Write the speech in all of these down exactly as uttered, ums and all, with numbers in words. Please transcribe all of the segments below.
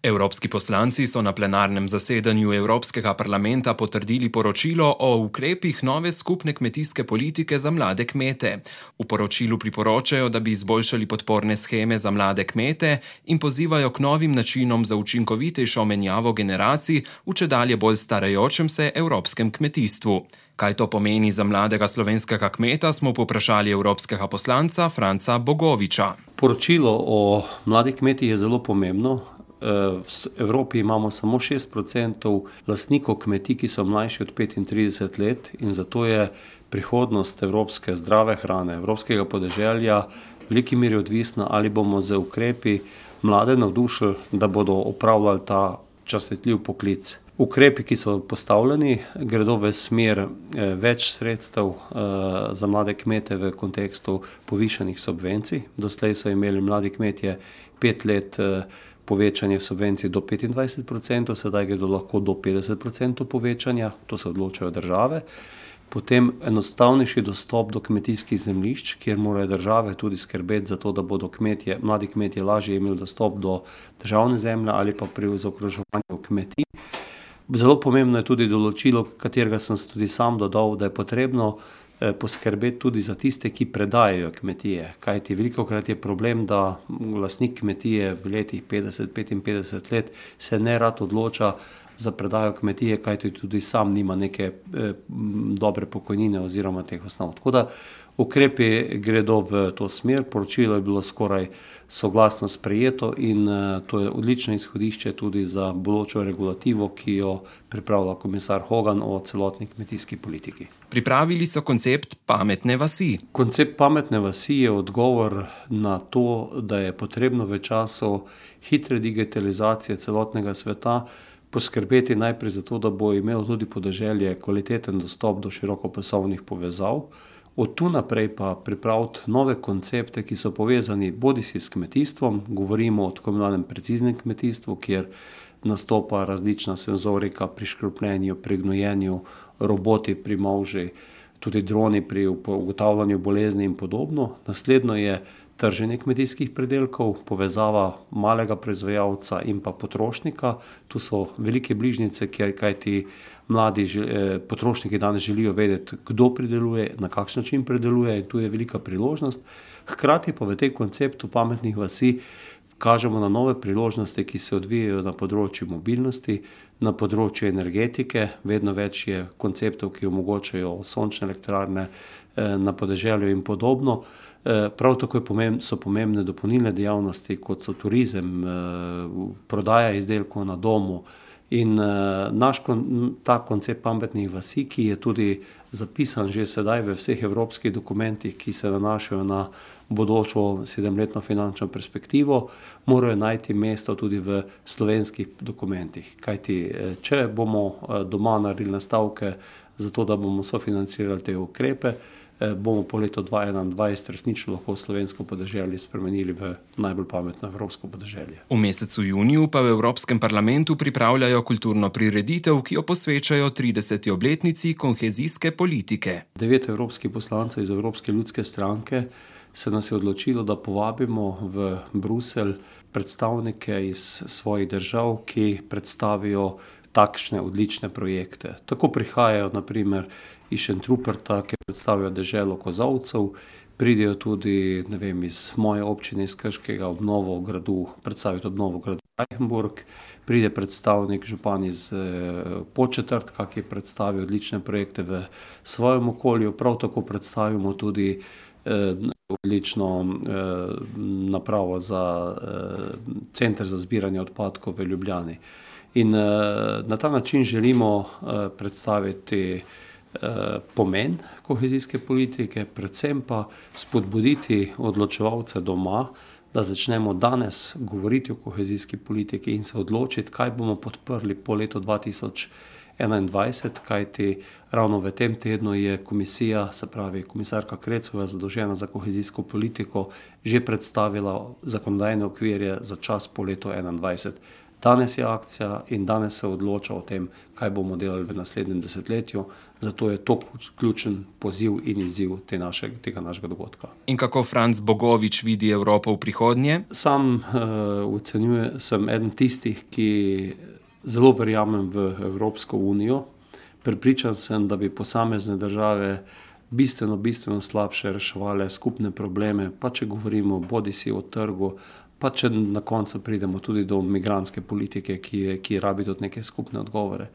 Evropski poslanci so na plenarnem zasedanju Evropskega parlamenta potrdili poročilo o ukrepih nove skupne kmetijske politike za mlade kmete. V poročilu priporočajo, da bi izboljšali podporne sheme za mlade kmete in pozivajo k novim načinom za učinkovitejšo menjavo generacij v čedalje bolj starajočem se evropskem kmetijstvu. Kaj to pomeni za mladega slovenskega kmeta, smo povprašali evropskega poslanca Franca Bogoviča. Poročilo o mladih kmetih je zelo pomembno. V Evropi imamo samo šest procentov lastnikov kmetij, ki so mlajši od petintrideset let, in zato je prihodnost evropske zdrave hrane, evropskega podeželja v veliki meri odvisna, ali bomo z ukrepi mlade navdušili, da bodo opravljali ta častitljiv poklic. Ukrepi, ki so postavljeni, gredo v smer več sredstev za mlade kmete v kontekstu povišanih subvencij. Doslej so imeli mladi kmetje pet let povečanje subvencij do petindvajset procentov, sedaj gredo lahko do petdeset procentov povečanja, to se odločajo države. Potem enostavnejši dostop do kmetijskih zemljišč, kjer morajo države tudi skrbeti za to, da bodo kmetje, mladi kmetje lažje imeli dostop do državne zemlje ali pa pri zaokroževanju kmetij. Zelo pomembno je tudi določilo, katerega sem tudi sam dodal, da je potrebno poskrbeti tudi za tiste, ki predajajo kmetije. Kajti velikokrat je problem, da lastnik kmetije v letih petdeset do petinpetdeset let se ne rad odloča za predajo kmetije, kajti tudi sam nima neke eh, dobre pokojnine oziroma teh osnov. Tako da ukrepi gredo v to smer, poročilo je bilo skoraj soglasno sprejeto in eh, to je odlično izhodišče tudi za bodočo regulativo, ki jo pripravlja komisar Hogan o celotni kmetijski politiki. Pripravili so koncept pametne vasi. Koncept pametne vasi je odgovor na to, da je potrebno v času hitre digitalizacije celotnega sveta poskrbeti najprej za to, da bo imelo tudi podeželje kvaliteten dostop do širokopasovnih povezav, od tu naprej pa pripraviti nove koncepte, ki so povezani bodisi s kmetijstvom, govorimo o tako imenovanem preciznem kmetijstvu, kjer nastopa različna senzorika pri škropljenju, pri gnojenju, roboti pri molži, tudi droni pri ugotavljanju bolezni in podobno. Naslednjo je trženje kmetijskih pridelkov, povezava malega proizvajalca in pa potrošnika. Tu so velike bližnjice, kjer kajti mladi potrošniki danes želijo vedeti, kdo prideluje, na kakšen način prideluje, in tu je velika priložnost. Hkrati pa v tej konceptu pametnih vasi kažemo na nove priložnosti, ki se odvijajo na področju mobilnosti, na področju energetike. Vedno več je konceptov, ki omogočajo sončne elektrarne na podeželju in podobno. Prav tako so pomembne dopolnilne dejavnosti, kot so turizem, prodaja izdelkov na domu. In naš ta koncept pametnih vasi, ki je tudi zapisan že sedaj v vseh evropskih dokumentih, ki se nanašajo na bodočo sedemletno finančno perspektivo, morajo najti mesto tudi v slovenskih dokumentih. Kajti, če bomo doma naredili nastavke za to, da bomo sofinancirali te ukrepe, bomo po letu dva tisoč enaindvajset resnično lahko slovensko podeželje spremenili v najbolj pametno evropsko podeželje. V mesecu juniju pa v Evropskem parlamentu pripravljajo kulturno prireditev, ki jo posvečajo trideseti obletnici kohezijske politike. Devet evropskih poslancev iz Evropske ljudske stranke se nas je odločilo, da povabimo v Bruselj predstavnike iz svojih držav, ki predstavijo takšne odlične projekte. Tako prihajajo na primer iz Šentruperta, ki predstavijo deželo kozolcev, pridejo tudi, ne vem, iz moje občine, iz Krškega, obnovo gradu, predstavijo obnovo gradu Reichenburg, pride predstavnik župan iz Podčetrtka, ki predstavi odlične projekte v svojem okolju, prav tako predstavimo tudi odlično napravo za center za zbiranje odpadkov v Ljubljani. In na ta način želimo predstaviti pomen kohezijske politike, predvsem pa spodbuditi odločevalce doma, da začnemo danes govoriti o kohezijski politiki in se odločiti, kaj bomo podprli po letu dva tisoč enaindvajset, kajti ravno v tem tednu je komisija, se pravi komisarka Krecova, zadolžena za kohezijsko politiko, že predstavila zakonodajne okvirje za čas po letu enaindvajset. Danes je akcija in danes se odloča o tem, kaj bomo delali v naslednjem desetletju. Zato je to ključen poziv in izziv te naše, tega našega dogodka. In kako Franc Bogovič vidi Evropo v prihodnje? Sam uh, ocenjujem, sem eden tistih, ki zelo verjamem v Evropsko unijo. Prepričan sem, da bi posamezne države bistveno, bistveno slabše reševale skupne probleme, pa če govorimo bodisi o trgu, pa če na koncu pridemo tudi do migrantske politike, ki, je, ki rabi tudi neke skupne odgovore.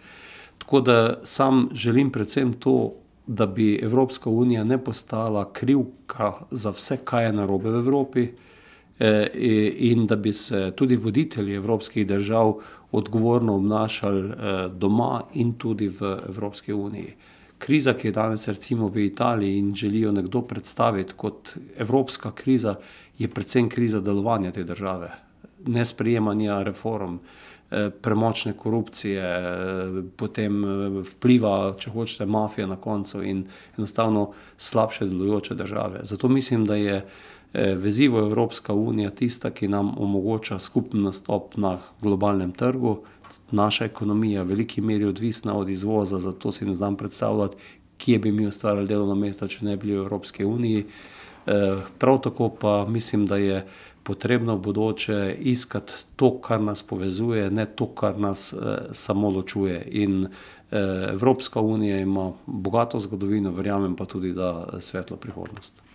Tako da sam želim predvsem to, da bi Evropska unija ne postala krivka za vse, kaj je narobe v Evropi, eh, in da bi se tudi voditelji evropskih držav odgovorno obnašali eh, doma in tudi v Evropski uniji. Kriza, ki je danes recimo v Italiji in želijo nekdo predstaviti kot evropska kriza, je predvsem kriza delovanja te države. Nesprejemanja reform, premočne korupcije, potem vpliva, če hočete, mafija na koncu in enostavno slabše delujoče države. Zato mislim, da je vezivo Evropska unija tista, ki nam omogoča skupen nastop na globalnem trgu. Naša ekonomija v veliki meri odvisna od izvoza, zato si ne znam predstavljati, kje bi mi ustvarjali delovna mesta, če ne bi bili v Evropski uniji. Prav tako pa mislim, da je potrebno v bodoče iskati to, kar nas povezuje, ne to, kar nas samo ločuje. In Evropska unija ima bogato zgodovino, verjamem pa tudi, da svetlo prihodnost.